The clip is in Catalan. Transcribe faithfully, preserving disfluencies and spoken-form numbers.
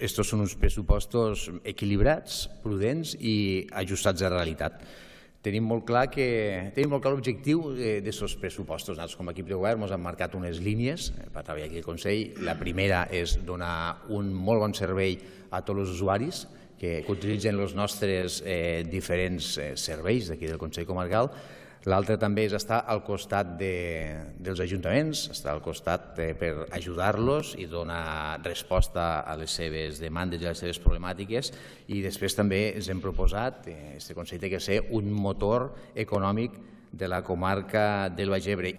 Estos són uns pressupostos equilibrats, prudents i ajustats a la realitat. Tenim molt clar que tenim molt clar l'objectiu d'aquests pressupostos. Nosaltres, com a equip de govern, ens hem marcat unes línies per treballar aquí al Consell. La primera és donar un molt bon servei a tots els usuaris que utilitzen els nostres diferents serveis d'aquí del Consell Comarcal. L'altra també és estar al costat dels ajuntaments, estar al costat per ajudar-los i donar resposta a les seves demandes i a les seves problemàtiques. I després també ens hem proposat, aquest Consell té que ser un motor econòmic de la comarca del Baix Ebre.